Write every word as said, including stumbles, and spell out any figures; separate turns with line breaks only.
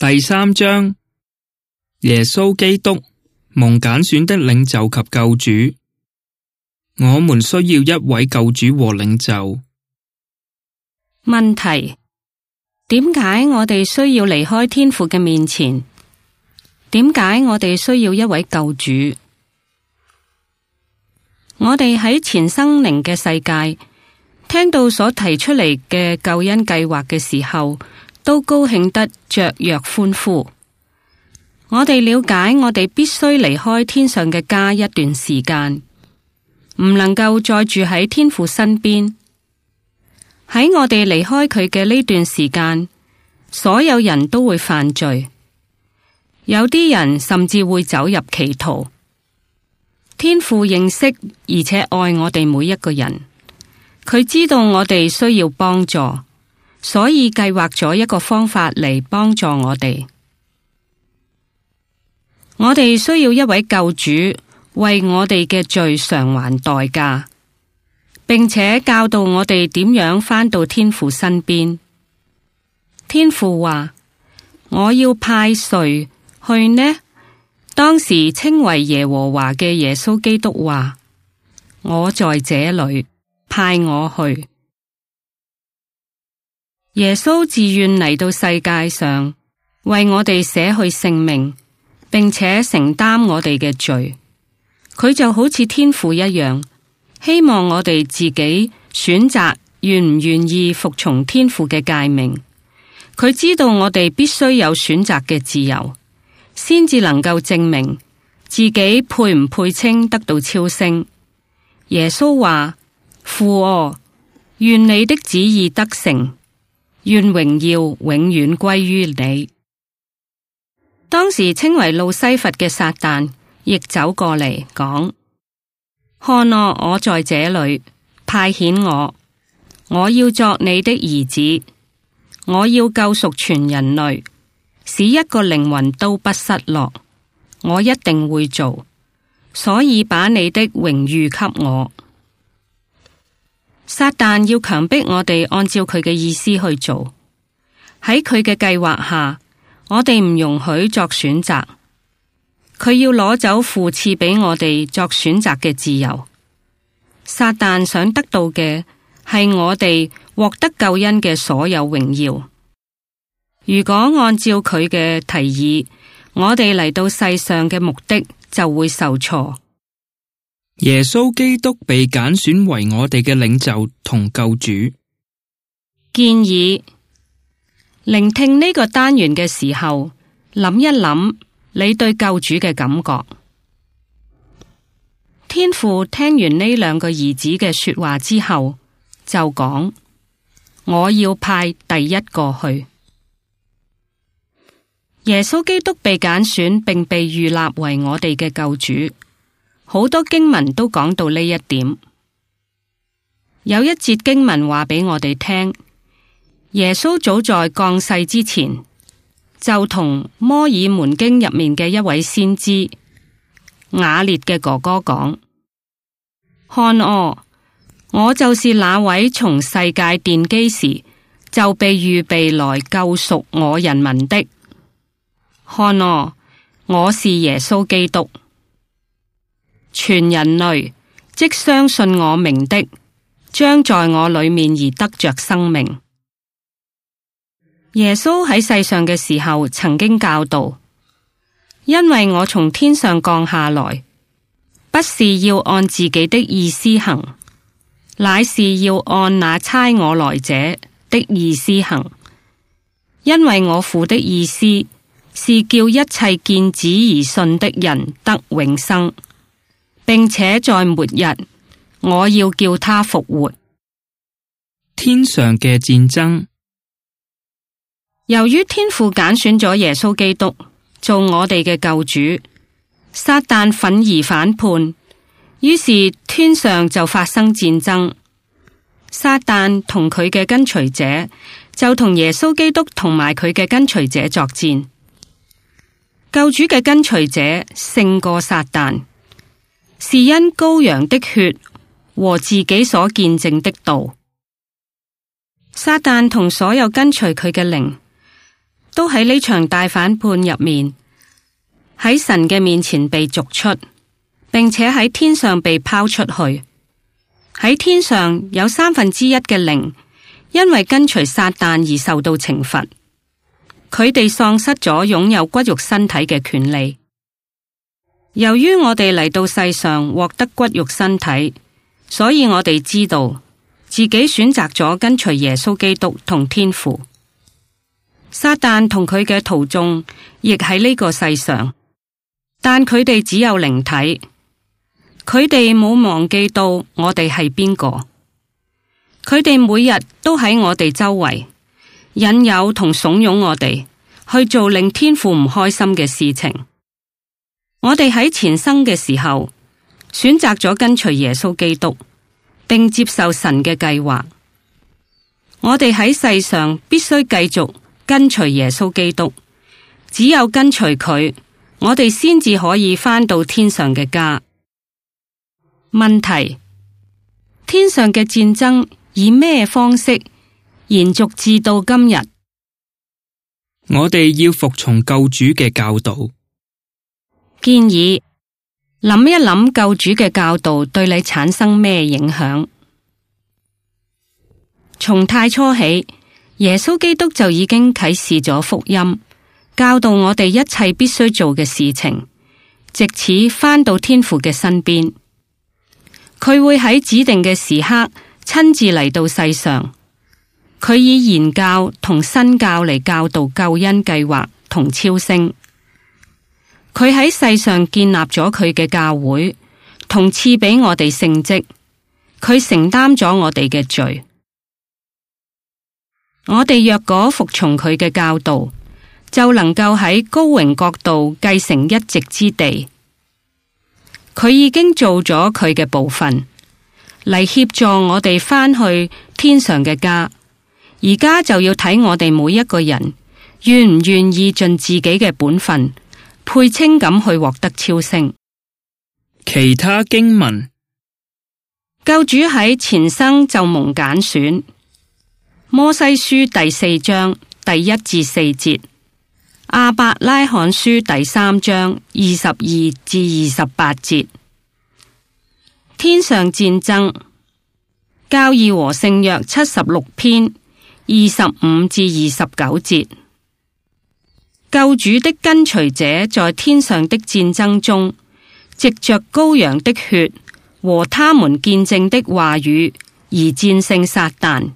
第三章，耶穌基督，蒙揀選的領袖及救主。我們需要一位救主和領袖。
問題：點解我哋需要離開天父嘅面前？點解我哋需要一位救主？我哋喺前生靈嘅世界聽到所提出嚟嘅救恩計劃嘅時候，都高興得雀躍歡呼。我哋了解我哋必須離開天上嘅家一段時間，唔能夠再住喺天父身邊。喺我哋離開佢嘅呢段時間，所有人都會犯罪，有啲人甚至會走入歧途。天父認識而且愛我哋每一個人，佢知道我哋需要幫助，所以計劃咗一個方法嚟幫助我哋。我哋需要一位救主為我哋嘅罪償還代價，並且教導我哋點樣返到天父身邊。天父話：我要派誰去呢？當時稱為耶和華嘅耶穌基督話：我在這裏，派我去。耶穌自願嚟到世界上，為我哋捨去性命，並且承擔我哋嘅罪。佢就好似天父一樣，希望我哋自己選擇願唔願意服從天父嘅誡命。佢知道我哋必須有選擇嘅自由，先至能夠證明自己配唔配稱得到超升。耶穌話：父啊，願你的旨意得成，願榮耀永遠歸於你。當時稱為路西弗嘅撒旦亦走過嚟講：看啊，我在這裏，派遣我，我要作你的兒子，我要救贖全人類，使一個靈魂都不失落。我一定會做，所以把你的榮譽給我。撒旦要強迫我哋按照佢嘅意思去做，喺佢嘅計劃下，我哋唔容許作選擇。佢要攞走父賜俾我哋作選擇嘅自由。撒旦想得到嘅係我哋獲得救恩嘅所有榮耀。如果按照佢嘅提議，我哋嚟到世上嘅目的就會受挫。
耶穌基督被揀選為我哋嘅領袖同救主。
建議聆聽呢個單元嘅時候，諗一諗你對救主嘅感覺。天父聽完呢兩個兒子嘅說話之後，就講：我要派第一個去。耶穌基督被揀選並被預立為我哋嘅救主，好多經文都講到呢一點。有一節經文話俾我哋聽，耶穌早在降世之前，就同摩爾門經入面嘅一位先知雅列嘅哥哥講：看哦，我就是那位從世界奠基時就被預備來救贖我人民的。看哦，我是耶穌基督。全人類即相信我名的，將在我裏面而得着生命。耶穌喺世上嘅時候曾經教導：因為我從天上降下來，不是要按自己的意思行，乃是要按那差我來者的意思行。因為我父的意思是叫一切見子而信的人得永生，並且在末日，我要叫他復活。
天上嘅戰爭。
由於天父揀選咗耶穌基督做我哋嘅救主，撒旦憤而反叛，於是天上就發生戰爭。撒旦同佢嘅跟隨者就同耶穌基督同埋佢嘅跟隨者作戰。救主嘅跟隨者勝過撒旦，是因羔羊的血和自己所見證的道。撒旦同所有跟隨佢嘅靈都喺呢場大反叛入面，喺神嘅面前被逐出，並且喺天上被拋出去。喺天上有三分之一嘅靈，因為跟隨撒旦而受到懲罰，佢哋喪失咗擁有骨肉身體嘅權利。由於我哋嚟到世上獲得骨肉身體，所以我哋知道自己選擇咗跟隨耶穌基督同天父。撒旦同佢嘅徒眾亦喺呢個世上，但佢哋只有靈體，佢哋冇忘記到我哋係邊個。佢哋每日都喺我哋周圍，引誘同慫恿我哋去做令天父唔開心嘅事情。我哋喺前生嘅時候選擇咗跟隨耶穌基督，並接受神嘅計劃。我哋喺世上必須繼續跟隨耶穌基督，只有跟隨佢，我哋先至可以返到天上嘅家。問題：天上嘅戰爭以咩方式延續至到今日？
我哋要服從救主嘅教導。
建議諗一諗救主嘅教導對你產生咩影響？從太初起，耶穌基督就已經啟示咗福音，教導我哋一切必須做嘅事情，藉此返到天父嘅身邊。佢會喺指定嘅時刻親自嚟到世上，佢以言教同身教嚟教導救恩計劃同超升。佢喺世上建立咗佢嘅教會，同賜俾我哋聖職，佢承擔咗我哋嘅罪。我哋若果服從佢嘅教導，就能夠喺高榮國度繼承一席之地。佢已經做咗佢嘅部分，嚟協助我哋返去天上嘅家。而家就要睇我哋每一個人願唔願意盡自己嘅本分，配稱咁去獲得超升。
其他經文：
救主喺前生就蒙揀選。摩西書第四章第一至四節，亞伯拉罕書第三章二十二至二十八節。天上戰爭，教義和聖約七十六篇二十五至二十九節。救主的跟隨者在天上的戰爭中，藉着羔羊的血和他們見證的話語而戰勝撒旦。